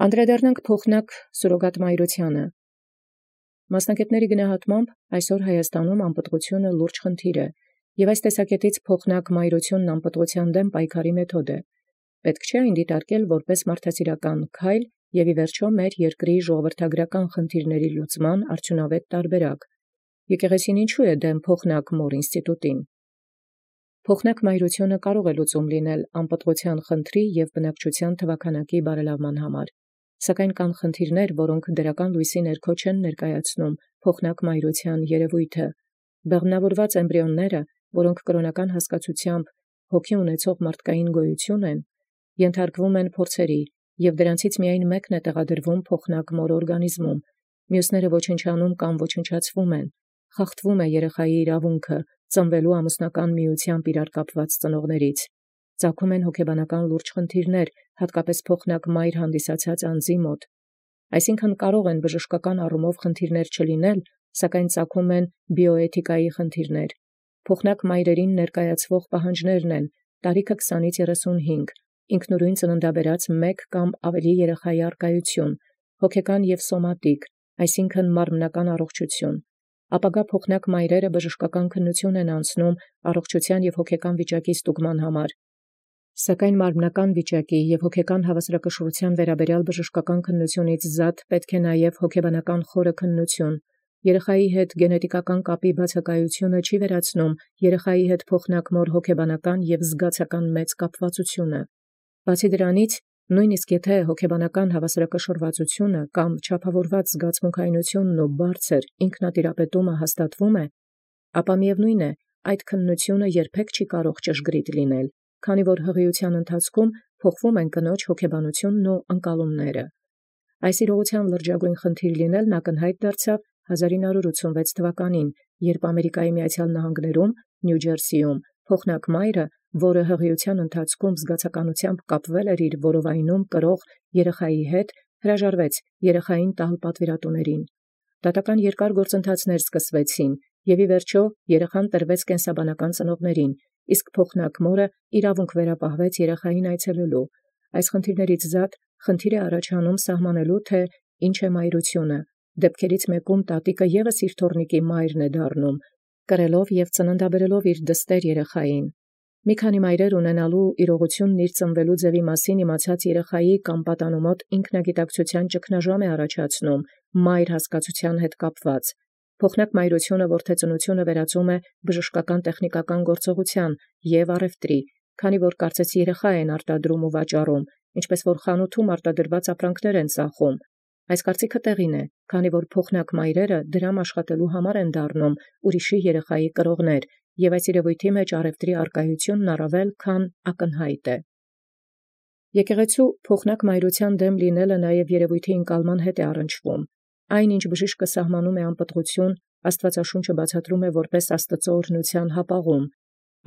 Անդրադառնանք փոխնակ սուրոգատ մայրութիւնը։ Մասնագետաց գնահատմամբ այսօր Հայաստանում անպտղութիւնը լուրջ խնդիր է, և այս տեսակետից փոխնակ մայրութիւնն անպտղութեան դեմ պայքարի մեթոդ է։ Պետք չէ այն դիտարկել որպես մարդասիրական քայլ և ի վերջո մեր երկրի ժողովրդագրական խնդիրների լուծման արդյունավետ տարբերակ։ Եկեղեցին ինչու է դեմ փոխնակ մոր ինստիտուտին։ Փոխնակ մայրութիւնը կարող է լուծում լինել անպտղութեան խնդրի և բնակչութեան թվաքանակի բարելաման համար, սակայն կան խնդիրներ, որոնք դրական լույսի ներքո չեն ներկայացնում փոխնակ մայրութեան երևույթը։ Բեղմնավորված էմբրիոնները, որոնք կրոնական հասկացութեամբ հոգի ունեցող մարդկային գոյություն են, ենթարկվում են փորձերի, և դրանցից միայն մեկն է տեղադրվում փոխնակ մոր օրգանիզմում, մյուսները ոչնչանում կամ ոչնչացվում են, խախտվում է երեխայի իրավունքը ծնվելու ամուսնական միությամբ իրար կապված ծնողներից, ծագում են հոգեբանական լուրջ խնդիրներ, հատկապես փոխնակ մայր հանդիսացած անձի մոտ։ Այսինքն կարող են բժշկական առումով խնդիրներ չլինել, սակայն ծագում են բիոէթիկայի խնդիրներ։ Փոխնակ մայրերին ներկայացվող պահանջներն են տարիքը 20-35, ինքնուրույն ծննդաբերած 1 կամ ավելի երեխայի առկայություն, հոգեկան և սոմատիկ, այսինքն մարմնական առողջություն։ Ապագա փոխնակ մայրերը բժշկական քննություն են անցնում առողջության և հոգեկան վիճակի ստուգման համար, սակայն մարմնական վիճակի և հոգեկան հավասարակշռության վերաբերյալ բժշկական քննությունից զատ պետք է նաև հոգեբանական խորը քննություն։ Երեխայի հետ գենետիկական կապի բացակայությունը չի վերացնում երեխայի հետ փոխնակ մոր հոգեբանական և զգացական մեծ կապվածությունը։ Բացի դրանից, նույնիսկ եթե հոգեբանական հավասարակշռվածությունը կամ չափավորված զգացմունքայնությունն ու բարձր ինքնատիրապետումը հաստատվում է, ապա միևնույն է, այդ քննությունը երբեք չի կարող ճշգրիտ լինել, քանի որ հղիության ընթացքում փոխվում են կնոջ հոգեբանությունն ու ընկալումները։ Այս իրողության լրջագույն խնդիր լինելն ակնհայտ դարձավ 1986 թվականին, երբ Ամերիկայի Միացյալ Նահանգներում, Նյու Ջերսիում, փոխնակ մայրը, որը հղիության ընթացքում զգացականությամբ կապվել էր իր որովայնում կրող երեխայի հետ, հրաժարվեց երեխային տալ պատվիրատուներին։ Դատական երկար գործընթացներ սկսվեցին, և ի վերջո երեխան տրվեց կենսաբանական ծնողներին, իսկ փոխնակ մորը իրավունք վերապահվեց երեխային այցելելու։ Այս խնդիրներից զատ խնդիր է առաջանում սահմանելու, թե ինչ է մայրությունը։ Դեպքերից մեկում տատիկը ևս իր թոռնիկի մայրն է դառնում, կրելով և ծննդաբերելով իր դստեր երեխային։ Մի քանի մայրեր ունենալու իրողությունն իր ծնվելու ձևի մասին իմացած երեխայի կամ պատանու մոտ ինքնագիտակցության ճգնաժամ է առաջացնում մայր հասկացության հետ կապված։ Փոխնակ մայրությունը որդեծնությունը վերածում է բժշկական տեխնիկական գործողության և առևտրի, քանի որ կարծես երեխա են արտադրում ու վաճառում, ինչպես որ խանութում արտադրված ապրանքներ են ծախում։ Այս կարծիքը տեղին է, քանի որ փոխնակ մայրերը դրամ աշխատելու համար են դառնում ուրիշի երեխայի կրողներ, և այս երևույթի մեջ առևտրի առկայությունն առավել քան ակնհայտ է։ Եկեղեցու փոխնակ մայրութեան դեմ լինելը նաև երևույթի ընկալման հետ է առնչվում։ Այն, ինչ բժիշկը սահմանում է անպտղություն, Աստվածաշունչը բացատրում է որպես Աստծո օրհնության հապաղում։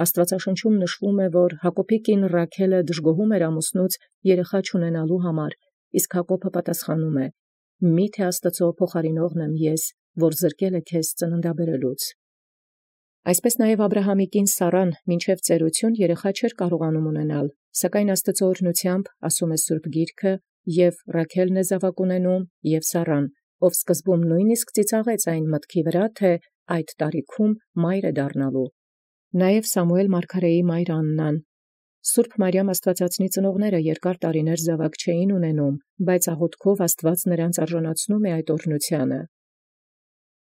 Աստվածաշնչում նշվում է, որ Հակոբի կին Ռաքելը դժգոհում էր ամուսնուց երեխա չունենալու համար, իսկ Հակոբը պատասխանում է. «Միթե Աստծո փոխարինողն եմ ես, որ զրկել է քեզ ծննդաբերելուց»։ Այսպես նաև Աբրահամի կին Սառան մինչև ծերություն երեխա չէր կարողանում ունենալ, սակայն Աստծո օրհնությամբ, ասում է Սուրբ Գիրքը, և Ռաքելն է զաւակ ունենում, և Սառան, ով սկզբում նույնիսկ ծիծաղեց այն մտքի վրա, թե այդ տարիքում մայր է դառնալու։ Նաև Սամուել մարգարեի մայր Աննան։ Սուրբ Մարիամ Աստվածածնի ծնողները երկար տարիներ զաւակ չէին ունենում, բայց աղոթքով Աստված նրանց արժանացնում է այդ օրհնութիւնը։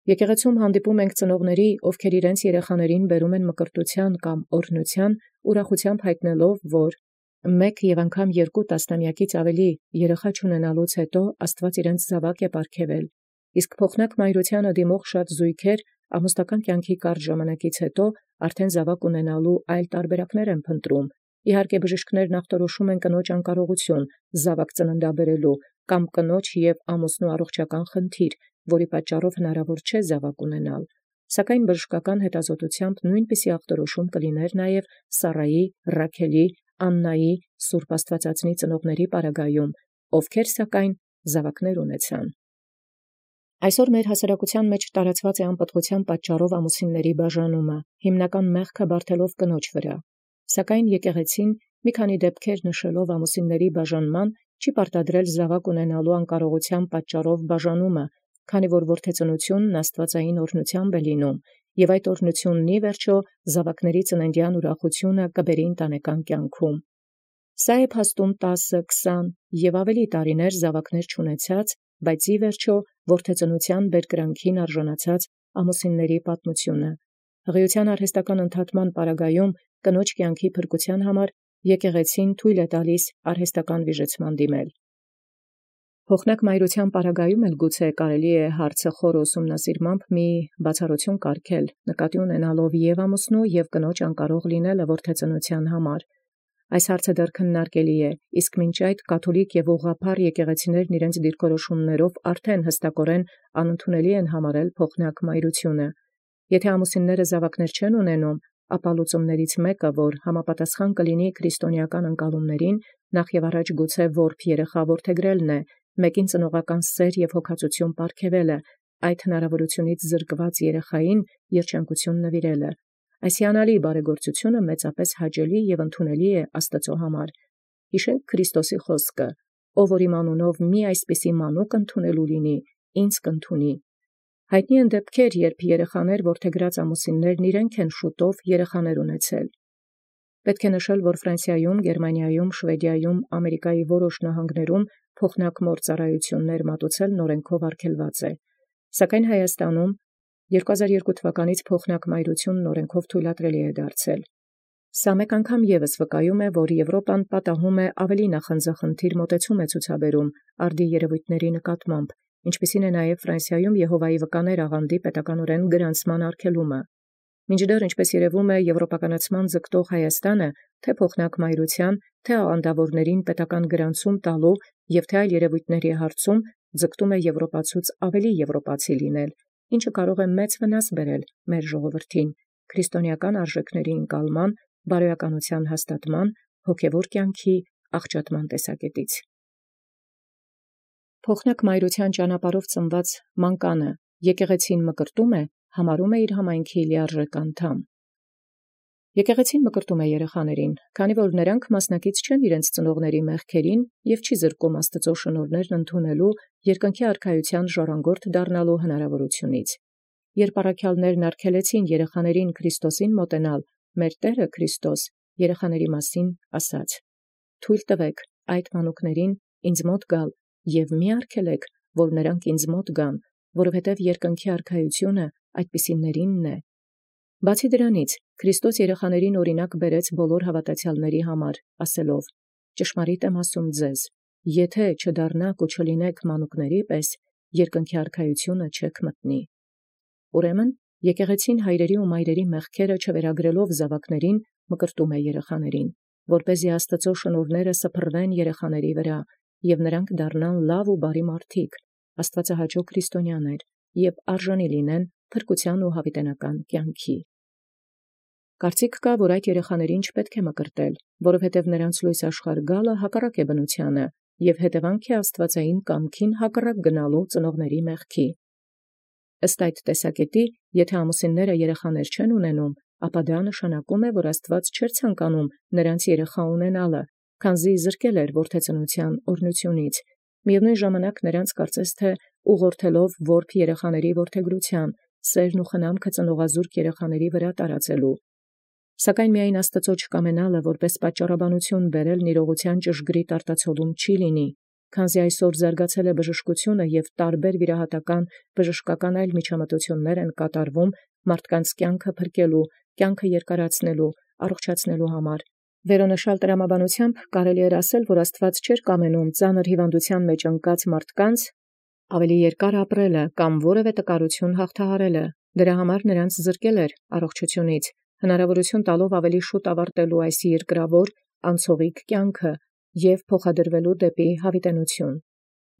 Եկեղեցում հանդիպում ենք ծնողների, ովքեր իրենց երեխաներին բերում են մկրտութեան կամ օրհնութեան, ուրախությամբ հայտնելով, որ 1 և անգամ 2 տասնամյակից ավելի երեխա չունենալուց հետո Աստված իրենց զաւակ է պարգևել, իսկ փոխնակ մայրութեանը դիմող շատ զույգեր ամուսնական կյանքի կարճ ժամանակից հետո արդեն զաւակ ունենալու այլ տարբերակներ են փնտրում։ Իհարկե բժիշկներն ախտորոշում են կնոջ անկարողություն զաւակ ծննդաբերելու կամ կնոջ և ամուսնու առողջական խնդիր, որի պատճառով հնարավոր չէ զաւակ ունենալ, սակայն բժշկական հետազոտությամբ նույնպիսի ախտորոշում կլիներ նաև Սառայի, Ռաքելի, Աննայի, Սուրբ Աստվածածնի ծնողների պարագայում, ովքեր սակայն զաւակներ ունեցան։ Այսօր մեր հասարակության մեջ տարածված է անպտղութեան պատճառով ամուսինների բաժանումը, հիմնական մեղքը բարթելով կնոջ վրա։ Սակայն եկեղեցին մի քանի դեպքեր նշելով ամուսինների բաժանման չի պարտադրել զաւակ ունենալու անկարողութեան պատճառով բաժանումը, քանի որ որդեծնությունն աստուածային օրհնութեամբ է լինում, եւ այդ օրհնութիւնն ի վերջո զաւակների ծննդեան ուրախութիւնը կբերի ընտանեկան կյանքում։ Սա է փաստում 10-20 եւ ավելի տարիներ զաւակներ չունեցած, բայց ի վերջո որդեծնութեան բերկրանքին արժանացած ամուսինների պատմությունը։ Հղիության արհեստական ընդհատման պարագայում կնոջ կյանքի փրկության համար եկեղեցին թույլ է տալիս արհեստական վիժեցման դիմել։ Փոխնակ մայրության պարագայում էլ գուցե կարելի է հարցը խոր ուսումնասիրմամբ մի բացառություն կարգել, նկատի ունենալով եւ ամուսնու եւ կնոջ անկարող լինելը որդեծնության համար։ Այս հարցը դեռ քննարկելի է, իսկ մինչ այդ կաթոլիկ եւ ուղղափառ եկեղեցիներն իրենց դիրքորոշումներով արդեն հստակորեն անընդունելի են համարել փոխնակ մայրությունը։ Եթե ամուսինները զաւակներ չեն ունենում, ապա լուծումներից մեկը, որ համապատասխան կլինի քրիստոնեական ընկալումներին, նախ եւ առաջ գուցե որբ երեխա որդեգրելն է, մեկին ծնողական սեր եւ հոգացություն պարգևելը, այդ հնարավորությունից զրկված երեխային երջանկություն նվիրելը։ Այս հիանալի բարեգործությունը մեծապես հաճելի եւ ընդունելի է Աստծո համար։ Հիշենք Քրիստոսի խոսքը. «Ով որ իմ անունով մի այսպիսի մանուկ ընդունելու լինի, ինձ կընդունի»։ Հայտնի են դեպքեր, երբ երեխաներ որդեգրած ամուսիններն իրենք են շուտով երեխաներ ունեցել։ Պետք է նշել, որ Ֆրանսիայում, Գերմանիայում, Շվեդիայում, Ամերիկայի որոշ նահանգներում փոխնակ մործարայություններ մատուցելն օրենքով արգելված է, սակայն Հայաստանում 2002 թվականից փոխնակ մայրությունն օրենքով թույլատրելի է դարձել։ Սա մեկ անգամ ևս վկայում է, որ Եվրոպան պատահում է ավելի նախանձախնդիր մոտեցում է ցուցաբերում արդի երևույթների նկատմամբ, ինչպիսին է նաև Ֆրանսիայում Եհովայի վկաներ աղանդի պետականորեն գրանցման արգելումը։ Մինչդեռ, ինչպես երևում է, եվրոպականացման ձգտող Հայաստանը, թե փոխնակ մայրության, թե աղանդավորներին պետական գրանցում տալու եւ թե այլ երևույթների հարցում ձգտում է եվրոպացուց ավելի եվրոպացի լինել, ինչը կարող է մեծ վնաս բերել մեր ժողովրդին, քրիստոնեական արժեքների ընկալման, բարոյականության հաստատման, հոգևոր կյանքի աղճատման տեսակետից։ Փոխնակ մայրության ճանապարհով ծնված մանկանը եկեղեցին մկրտում է, համարում է իր համայնքի լիարժեք անդամ։ Եկեղեցին մկրտում է երեխաներին, քանի որ նրանք մասնակից չեն իրենց ծնողների մեղքերին եւ չի զրկում Աստծո շնորհներն ընդունելու երկնքի արքայության ժառանգորդ դառնալու հնարավորությունից։ Երբ առաքյալներն արգելեցին երեխաներին Քրիստոսին մոտենալ, մեր Տերը Քրիստոս երեխաների մասին ասաց. «Թույլ տվեք այդ մանուկներին ինձ մոտ գալ եւ մի արգելեք, որ նրանք ինձ մոտ գան, որովհետեւ երկնքի արքայությունը այդպիսիներինն է»։ Բացի դրանից, Քրիստոս երեխաներին օրինակ բերեց բոլոր հավատացյալների համար, ասելով. «Ճշմարիտ եմ ասում ձեզ, եթե չդառնաք ու չլինեք մանուկների պես, երկնքի արքայությունը չեք մտնի»։ Ուրեմն, եկեղեցին հայրերի ու մայրերի մեղքերը չվերագրելով զավակներին մկրտում է երեխաներին, որպեսզի Աստծո շնորհները սփռվեն երեխաների վրա, եւ նրանք դառնան լավ ու բարի մարդիկ, աստվածահաճո քրիստոնյաներ, եւ արժանի լինեն փրկության ու հավիտենական կյանքի։ Կարծիք կա, որ այդ երեխաներին չպետք է մկրտել, որովհետև նրանց լույս աշխարհ գալը հակառակ է բնությանը եւ հետևանք է աստվածային կամքին հակառակ գնալու ծնողների մեղքի։ Ըստ այդ տեսակետի, եթե ամուսինները երեխաներ չեն ունենում, ապա դա նշանակում է, որ Աստված չէր ցանկանում նրանց երեխա ունենալը, քանզի զրկել էր որդեծնության օրհնությունից։ Միևնույն ժամանակ նրանց կարծես թե ուղղորդելով որբ երեխաների որդեգրության, սերն ու խնամքը ծնողազուրկ երեխաների վրա տարածելու։ Սակայն միայն Աստծո չկամենալը որպես պատճառաբանություն բերել նիրողության ճշգրիտ արտացոլում չի լինի, քանզի այսօր զարգացել է բժշկությունը եւ տարբեր վիրահատական բժշկական այլ միջամտություններ են կատարվում մարդկանց կյանքը փրկելու, կյանքը երկարացնելու, առողջացնելու համար։ Վերոնշյալ տրամաբանությամբ կարելի է ասել, որ Աստված չէր կամենում ծանր հիվանդության մեջ ընկած մարդկանց ավելի երկար ապրելը կամ որևէ տկարություն հաղթահարելը։ Դրա համար նրանց զրկել էր առողջությունից, հնարավորություն տալով ավելի շուտ ավարտելու այս երկրավոր անցողիկ կյանքը եւ փոխադրվելու դեպի հավիտենություն։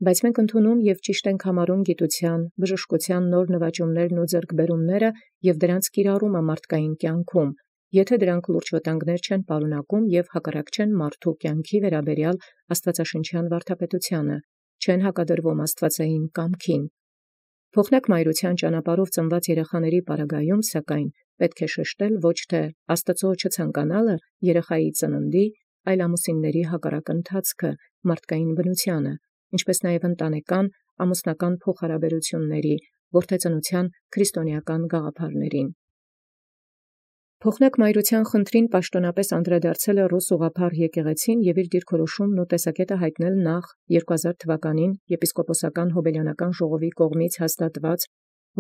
Բայց մենք ընդունում եւ ճիշտ ենք համարում գիտության, բժշկության նոր նվաճումներն ու ձեռքբերումները եւ դրանց կիրառումը մարդկային կյանքում, եթե դրանք լուրջ վտանգներ չեն պարունակում եւ հակառակ չեն մարդու կյանքի վերաբերյալ աստվածաշնչյան վարդապետությանը, չեն հակադրվում աստվածային կամքին։ Փոխնակ մայրության ճանապարհով ծնված երեխաների պարագայում, սակայն, պետք է շեշտել ոչ թե Աստծո չցանկանալը երեխայի ծննդի, այլ ամուսինների հակառակ ընթացքը մարդկային բնութեանը, ինչպես նաև ընտանեկան, ամուսնական փոխհարաբերությունների, որդեծնության քրիստոնեական գաղափարներին։ Փոխնակ մայրութեան խնդրին պաշտոնապես անդրադարձել է Ռուս ուղղափառ եկեղեցին և իր դիրքորոշումն ու տեսակետը հայտնել նախ 2000 թվականին եպիսկոպոսական հոբելյանական ժողովի կողմից հաստատված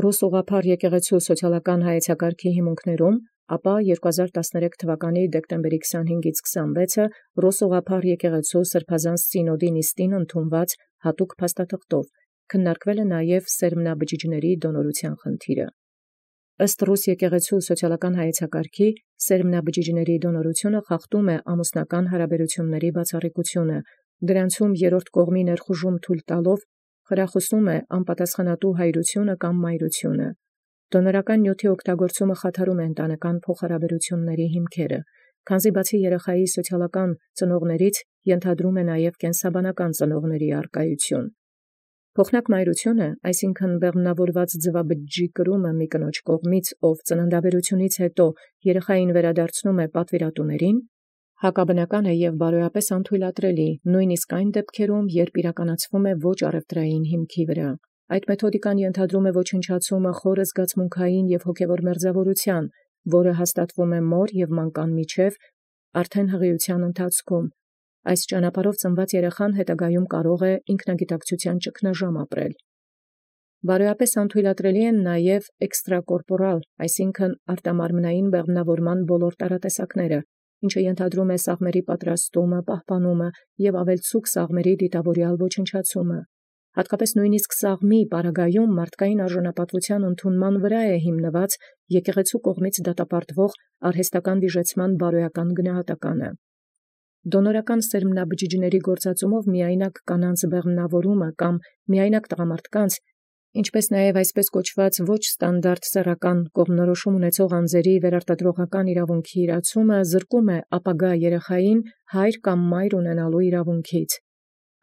Ռուս ուղղափառ եկեղեցու սոցիալական հայեցակարգի հիմունքներում, ապա 2013 թվականի դեկտեմբերի 25-ից 26-ը Ռուս ուղղափառ եկեղեցու սրբազան սինոդի նիստին ընդունված հատուկ փաստաթղթով քննարկվել է նաև սերմնաբջիջների դոնորության խնդիրը։ Ըստ Ռուս եկեղեցու սոցիալական հայեցակարգի սերմնաբջիջների դոնորությունը խախտում է ամուսնական հարաբերությունների բացառիկությունը, դրանցում երրորդ կողմի ներխուժում թույլ տալով խրախուսում է անպատասխանատու հայրությունը կամ մայրությունը։ Դոնորական նյութի օգտագործումը խաթարում է ընտանեկան փոխհարաբերությունների հիմքերը, քանզի բացի երեխայի սոցիալական ծնողներից ենթադրում է նաև կենսաբանական ծնողների առկայություն։ Փոխնակ մայրությունը, այսինքն բեղմնավորված ձվաբջիջի կրումը մի կնոջ կողմից, ով ծննդաբերությունից հետո երեխային վերադարձնում է պատվիրատուներին, հակաբնական է և բարոյապես անթույլատրելի, նույնիսկ այն դեպքերում, երբ իրականացվում է ոչ առևտրային հիմքի վրա։ Այդ մեթոդիկան ենթադրում է ոչնչացումը խորը զգացմունքային և հոգևոր մերձավորության, որը հաստատվում է մոր և մանկան միջև արդեն հղիության ընթացքում։ Այս ճանապարհով ծնված երեխան հետագայում կարող է ինքնագիտակցության ճգնաժամ ապրել։ Բարոյապես անթույլատրելի են նաև էքստրակորպորալ, այսինքն արտամարմնային բեղմնավորման բոլոր տարատեսակները, ինչը ենթադրում է սաղմերի պատրաստումը, պահպանումը և ավելցուկ սաղմերի դիտավորյալ ոչնչացումը։ Հատկապես նույնիսկ սաղմի պարագայում մարդկային արժանապատվության ընդունման վրա է հիմնված եկեղեցու կողմից դատապարտվող արհեստական վիժեցման բարոյական գնահատականը։ Դոնորական սերմնաբջիջների գործածումով միայնակ կանանց բեղմնավորումը կամ միայնակ տղամարդկանց, ինչպես նաև այսպես կոչված ոչ ստանդարտ սեռական կողմնորոշում ունեցող անձերի վերարտադրողական իրավունքի իրացումը զրկում է ապագա երեխային հայր կամ մայր ունենալու իրավունքից։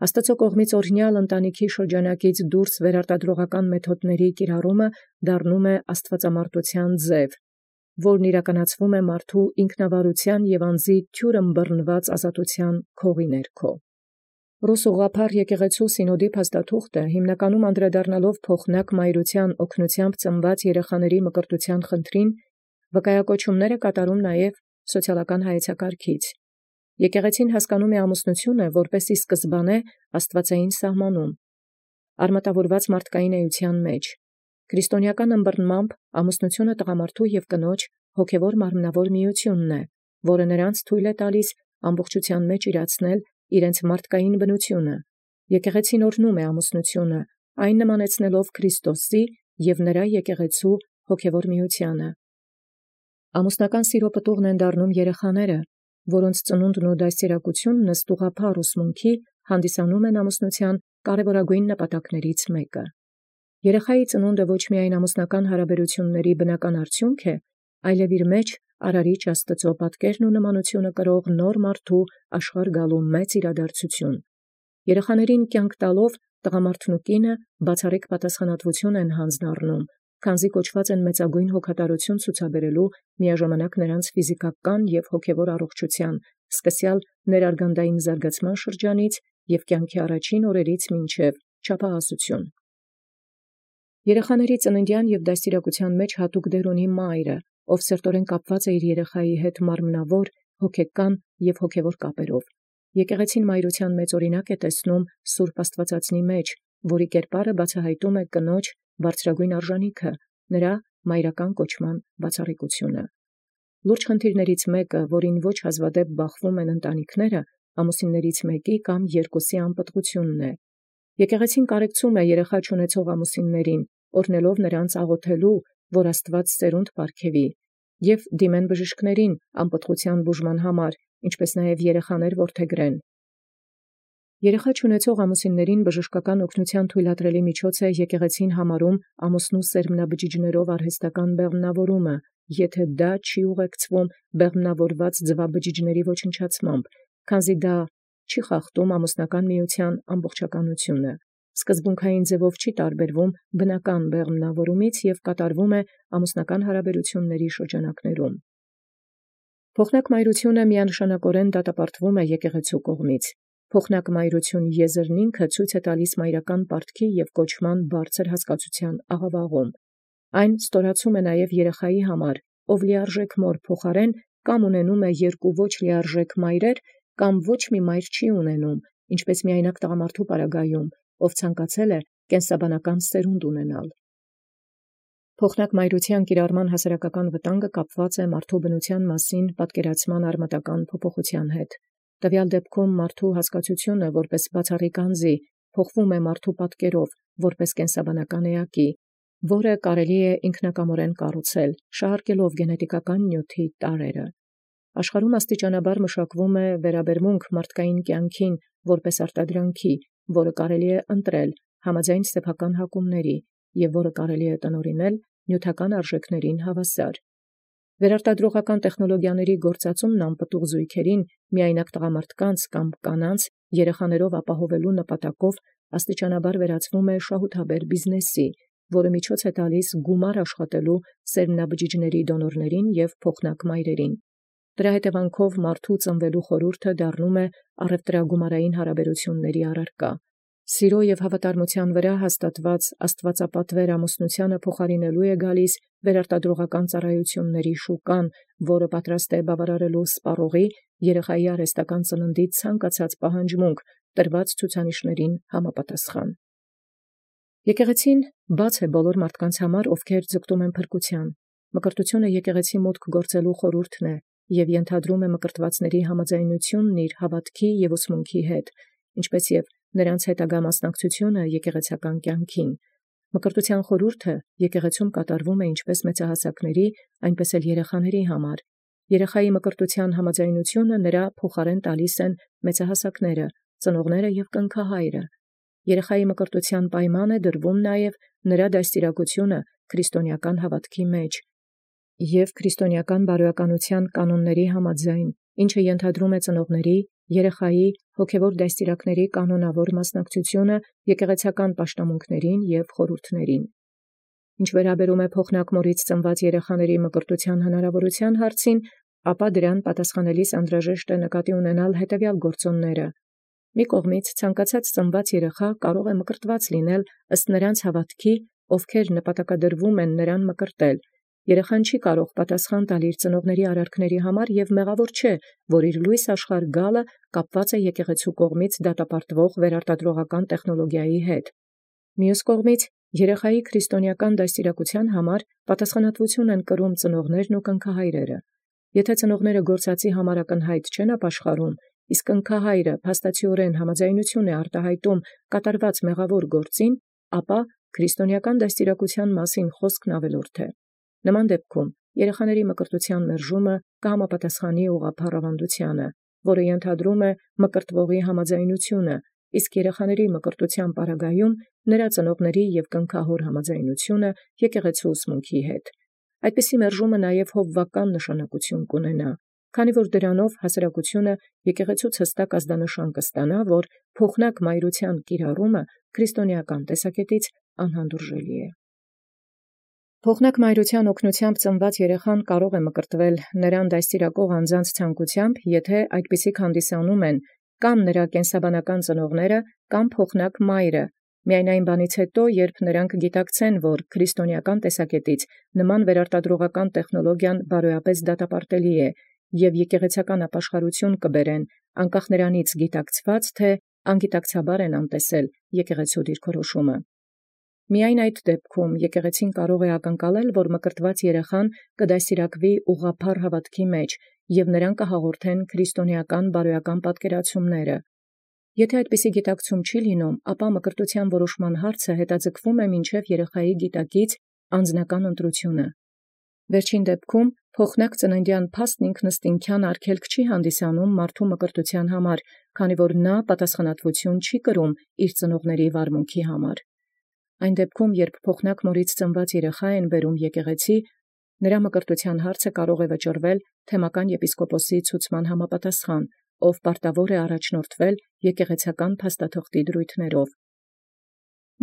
Աստծո կողմից օրհնյալ ընտանիքի շրջանակից դուրս վերարտադրողական մեթոդների կիրառումը դառնում է աստվածամարտության ձև, որն իրականացվում է մարդու ինքնավարության և անձի թյուր ըմբռնված ազատության քողի ներքո։ Ռուս ուղղափառ եկեղեցու սինոդի փաստաթուղթը հիմնականում անդրադառնալով փոխնակ մայրության օգնությամբ ծնված երեխաների մկրտության խնդրին, վկայակոչումներ է կատարում նաև սոցիալական հայեցակարգից։ Եկեղեցին հասկանում է ամուսնությունը որպեսզի սկզբանե աստվածային սահմանում, արմատավորված մարդկային էության մեջ։ Քրիստոնեական ըմբռնմամբ ամուսնությունը տղամարդու և կնոջ հոգևոր մարմնավոր միությունն է, որը նրանց թույլ է տալիս ամբողջության մեջ իրացնել իրենց մարդկային բնությունը։ Եկեղեցին օրհնում է ամուսնությունը, այն նմանեցնելով Քրիստոսի և նրա եկեղեցու հոգևոր միությանը։ Ամուսնական սիրո պտուղն են դառնում երեխաները, որոնց ծնունդն ու դաստիարակությունն ըստ ուղղափառ ուսմունքի հանդիսանում են ամուսնության կարևորագույն նպատակներից մեկը։ Երեխայի ծնունդը ոչ միայն ամուսնական հարաբերությունների բնական արդյունք է, այլև իր մեջ Արարիչ Աստծո պատկերն ու նմանությունը կրող նոր մարդու աշխարհ գալու մեծ իրադարձություն։ Երեխաներին կյանք տալով տղամարդն ու կինը բացառիկ պատասխանատվություն են հանձնառնում, քանզի կոչված են մեծագույն հոգատարություն ցուցաբերելու միաժամանակ նրանց ֆիզիկական և հոգևոր առողջության, սկսյալ ներարգանդային զարգացման շրջանից և կյանքի առաջին օրերից մինչև չափահասություն։ Երեխաների ծննդյան և դաստիարակության մեջ հատուկ դեր ունի մայրը, ով սերտորեն կապված է իր երեխայի հետ մարմնավոր, հոգեկան և հոգևոր կապերով։ Եկեղեցին մայրության մեծ օրինակ է տեսնում Սուրբ Աստվածածնի մեջ, որի կերպարը բացահայտում է կնոջ բարձրագույն արժանիքը, նրա մայրական կոչման բացառիկությունը։ Լուրջ խնդիրներից մեկը, որին ոչ հազվադեպ բախվում են ընտանիքները, ամուսիններից մեկի կամ երկուսի անպտղությունն է։ Եկեղեցին կարեկցում է երեխա չունեցող ամուսիններին, օրհնելով նրանց աղոթելու, որ Աստված սերունդ պարգևի, և դիմեն բժիշկներին անպտղության բուժման համար, ինչպես նաև երեխաներ որդեգրեն։ Երեխա չունեցող ամուսիններին բժշկական օգնության թույլատրելի միջոց է եկեղեցին համարում ամուսնու սերմնաբջիջներով արհեստական բեղմնավորումը, եթե դա չի ուղեկցվում բեղմնավորված ձվաբջիջների ոչնչացմամբ, քանզի դա չի խախտում ամուսնական միության ամբողջականությունը, սկզբունքային ձևով չի տարբերվում բնական բեղմնավորումից և կատարվում է ամուսնական հարաբերությունների շրջանակներում։ Փոխնակ մայրությունը միանշանակորեն դատապարտվում է եկեղեցու կողմից։ փոխնակ մայրություն եզրն ինքը ցույց է տալիս մայրական պարտքի և կոչման բարձր հասկացության աղավաղում։ Այն ստորացում է նաև երեխայի համար, ով լիարժեք մոր փոխարեն կամ ունենում է երկու ոչ լիարժեք մայրեր, կամ ոչ մի մայր չի ունենում, ինչպես միայնակ տղամարդու պարագայում, ով ցանկացել է կենսաբանական սերունդ ունենալ։ Փոխնակ մայրության կիրառման հասարակական վտանգը կապված է մարդու բնության մասին պատկերացման արմատական փոփոխության հետ։ Տվյալ դեպքում մարդու հասկացությունը որպես բացառիկ անձի փոխվում է մարդու պատկերով որպես կենսաբանական էակի, որը կարելի է ինքնակամորեն կառուցել, շահարկելով գենետիկական նյութի տարրերը։ Աշխարհում աստիճանաբար մշակվում է վերաբերմունք մարդկային կյանքին որպես արտադրանքի, որը կարելի է ընտրել համաձայն սեփական հակումների և որը կարելի է տնօրինել նյութական արժեքներին հավասար։ Վերարտադրողական տեխնոլոգիաների գործածումն անպտուղ զույգերին միայնակ տղամարդկանց կամ կանանց երեխաներով ապահովելու նպատակով աստիճանաբար վերածվում է շահութաբեր բիզնեսի, որը միջոց է տալիս գումար աշխատելու սերմնաբջիջների դոնորներին և փոխնակ մայրերին։ Դրա հետևանքով մարդու ծնվելու խորհուրդը դառնում է առևտրագումարային հարաբերությունների առարկա։ Սիրո և հավատարմության վրա հաստատված աստվածապատվեր ամուսնությանը փոխարինելու է գալիս վերարտադրողական ծառայությունների շուկան, որը պատրաստ է բավարարելու սպառողի երեխայի արհեստական ծննդից ցանկացած պահանջմունք տրված ցուցանիշներին համապատասխան։ Եկեղեցին բաց է բոլոր մարդկանց համար, ովքեր ձգտում են փրկության։ Մկրտությունը եկեղեցի մուտք գործելու խորհուրդն է և ենթադրում է մկրտվածների համաձայնությունն իր հավատքի և ուսմունքի հետ, ինչպես և նրանց հետագա մասնակցությունը եկեղեցական կյանքին։ Մկրտության խորհուրդը եկեղեցում կատարվում է ինչպես մեծահասակների, այնպես էլ երեխաների համար։ Երեխայի մկրտության համաձայնությունը նրա փոխարեն տալիս են մեծահասակները, ծնողները և կնքահայրը։ Երեխայի մկրտության պայման է դրվում նաև նրա դաստիարակությունը քրիստոնեական հավատքի մեջ և քրիստոնեական բարոյականության կանոնների համաձայն, ինչը ենթադրում է ծնողների, երեխայի, հոգևոր դաստիարակների կանոնավոր մասնակցությունը եկեղեցական պաշտամունքներին և խորհուրդներին։ Ինչ վերաբերում է փոխնակ մորից ծնված երեխաների մկրտության հնարավորության հարցին, ապա դրան պատասխանելիս անհրաժեշտ է նկատի ունենալ հետևյալ գործոնները։ Մի կողմից ցանկացած ծնված երեխա կարող է մկրտված լինել ըստ նրանց հավատքի, ովքեր նպատակադրվում են նրան մկրտել։ Երեխան չի կարող պատասխան տալ իր ծնողների արարքների համար և մեղավոր չէ, որ իր լույս աշխարհ գալը կապված է եկեղեցու կողմից դատապարտվող վերարտադրողական տեխնոլոգիայի հետ։ Մյուս կողմից երեխայի քրիստոնեական դաստիարակության համար պատասխանատվություն են կրում ծնողներն ու կնքահայրերը։ Եթե ծնողները գործածի համար ակնհայտ չեն ապաշխարում, իսկ կնքահայրը փաստացիորեն համաձայնություն է արտահայտում կատարված մեղավոր գործին, ապա քրիստոնեական դաստիարակության մասին խոսքն ավելորդ է։ Նման դեպքում երեխաների մկրտության մերժումը կհամապատասխանի ուղղափառ ավանդությանը, որը ենթադրում է մկրտվողի համաձայնությունը, իսկ երեխաների մկրտության պարագայում նրա ծնողների և կնքահոր համաձայնությունը եկեղեցու ուսմունքի հետ։ Այդպիսի մերժումը նաև հովվական նշանակություն կունենա, քանի որ դրանով հասարակությունը եկեղեցուց հստակ ազդանշան կստանա, որ փոխնակ մայրության կիրառումը քրիստոնեական տեսակետից անհանդուրժելի է։ Փոխնակ մայրության օգնությամբ ծնված երեխան կարող է մկրտվել նրան դաստիարակող անձանց ցանկությամբ, եթե այդպիսիք հանդիսանում են կամ նրա կենսաբանական ծնողները, կամ փոխնակ մայրը, միայն այն բանից հետո, երբ նրանք գիտակցեն, որ քրիստոնեական տեսակետից նման վերարտադրողական տեխնոլոգիան բարոյապես դատապարտելի է և եկեղեցական ապաշխարություն կբերեն, անկախ նրանից գիտակցված, թե անգիտակցաբար են անտեսել եկեղեցու դիրքորոշումը։ Միայն այդ դեպքում եկեղեցին կարող է ակնկալել, որ մկրտված երեխան կդաստիարակվի ուղղափառ հավատքի մեջ և նրան կհաղորդեն քրիստոնեական բարոյական պատկերացումները։ Եթե այդպիսի գիտակցում չի լինում, ապա մկրտության որոշման հարցը հետաձգվում է մինչև երեխայի գիտակից անձնական ընտրությունը։ Վերջին դեպքում փոխնակ ծննդյան փաստն ինքնըստինքյան արգելք չի հանդիսանում մարդու մկրտության համար, քանի որ նա պատասխանատվություն չի կրում իր ծնողների վարմունքի համար։ Այն դեպքում, երբ փոխնակ մորից ծնված երեխա են բերում եկեղեցի, նրա մկրտության հարցը կարող է վճռվել թեմական եպիսկոպոսի ցուցման համապատասխան, ով պարտավոր է առաջնորդվել եկեղեցական փաստաթղթի դրույթներով։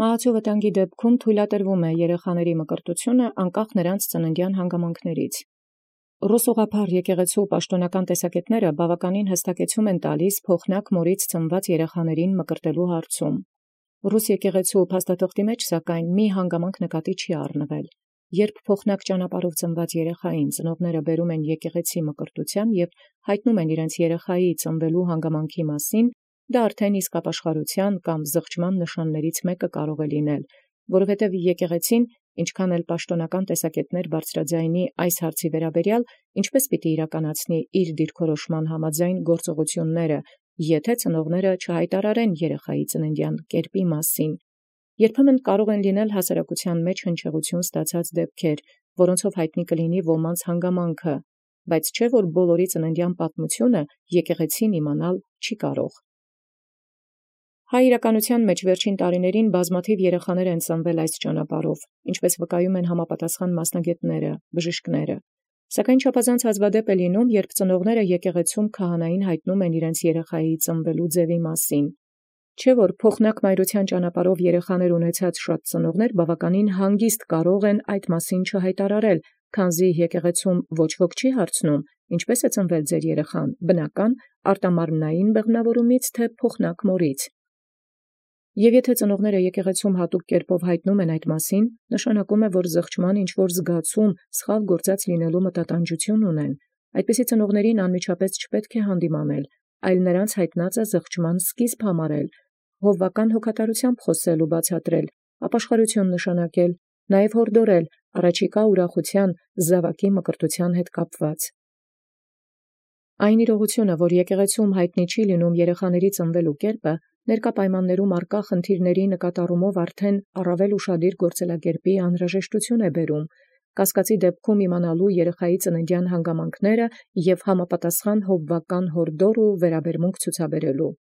Մահացու վտանգի դեպքում թույլատրվում է երեխաների մկրտությունը անկախ նրանց ծննդյան հանգամանքներից։ Ռուսուղափառ եկեղեցու պաշտոնական տեսակետները բավականին հստակեցում են տալիս փոխնակ մորից ծնված երեխաներին մկրտելու հարցում։ Ռուս եկեղեցու փաստաթղթի մեջ սակայն մի հանգամանք նկատի չի առնվել։ Երբ փոխնակ ճանապարհով ծնված երեխային ծնողները բերում են եկեղեցի մկրտության եւ հայտնում են իրենց երեխայի ծնվելու հանգամանքի մասին, դա արդեն իսկ ապաշխարության կամ զղջման նշաններից մեկը կարող է լինել, որովհետև եկեղեցին, ինչքան էլ պաշտոնական տեսակետներ բարձրաձայնի այս հարցի վերաբերյալ, ինչպես պիտի իրականացնի իր դիրքորոշման համաձայն գործողությունները, եթե ծնողները չհայտարարեն երեխայի ծննդյան կերպի մասին։ Երբեմն կարող են լինել հասարակության մեջ հնչեղություն ստացած դեպքեր, որոնցով հայտնի կլինի ոմանց հանգամանքը, բայց չէ որ բոլորի ծննդյան պատմությունը եկեղեցին իմանալ չի կարող։ Հայ իրականության մեջ վերջին տարիներին բազմաթիվ երեխաներ են ծնվել այս ճանապարհով, ինչպես վկայում են համապատասխան մասնագետները, բժիշկները։ Սակայն չափազանց հազվադեպ է լինում, երբ ծնողները եկեղեցում քահանային հայտնում են իրենց երեխայի ծնվելու ձևի մասին։ Չէ որ փոխնակ մայրության ճանապարհով երեխաներ ունեցած շատ ծնողներ բավականին հանգիստ կարող են այդ մասին չհայտարարել, քանզի եկեղեցում ոչ ոք չի հարցնում, ինչպես է ծնվել ձեր երեխան, բնական արտամարմնային բեղմնավորումից թե փոխնակ մորից։ Եվ եթե ծնողները եկեղեցում հատուկ կերպով հայտնում են այդ մասին, նշանակում է, որ զղջման ինչ-որ զգացում, սխալ գործած լինելու մտատանջություն ունեն։ Այդպիսի ծնողներին անմիջապես չպետք է հանդիմանել, այլ նրանց հայտնածը զղջման սկիզբ համարել, հովվական հոգատարությամբ խոսել ու բացատրել, ապաշխարություն նշանակել, նաև հորդորել առաջիկա ուրախության զավակի մկրտության հետ կապված։ Այն իրողությունը, որ եկեղեցում հայտնի չի լինում երեխաների ծնվելու կերպը, ներկա պայմաններում առկա խնդիրների նկատառումով արդեն առավել ուշադիր գործելակերպի անհրաժեշտություն է բերում, կասկածի դեպքում իմանալու երեխայի ծննդյան հանգամանքները և համապատասխան հովվական հորդոր ու վերաբերմունք ցուցաբերելու։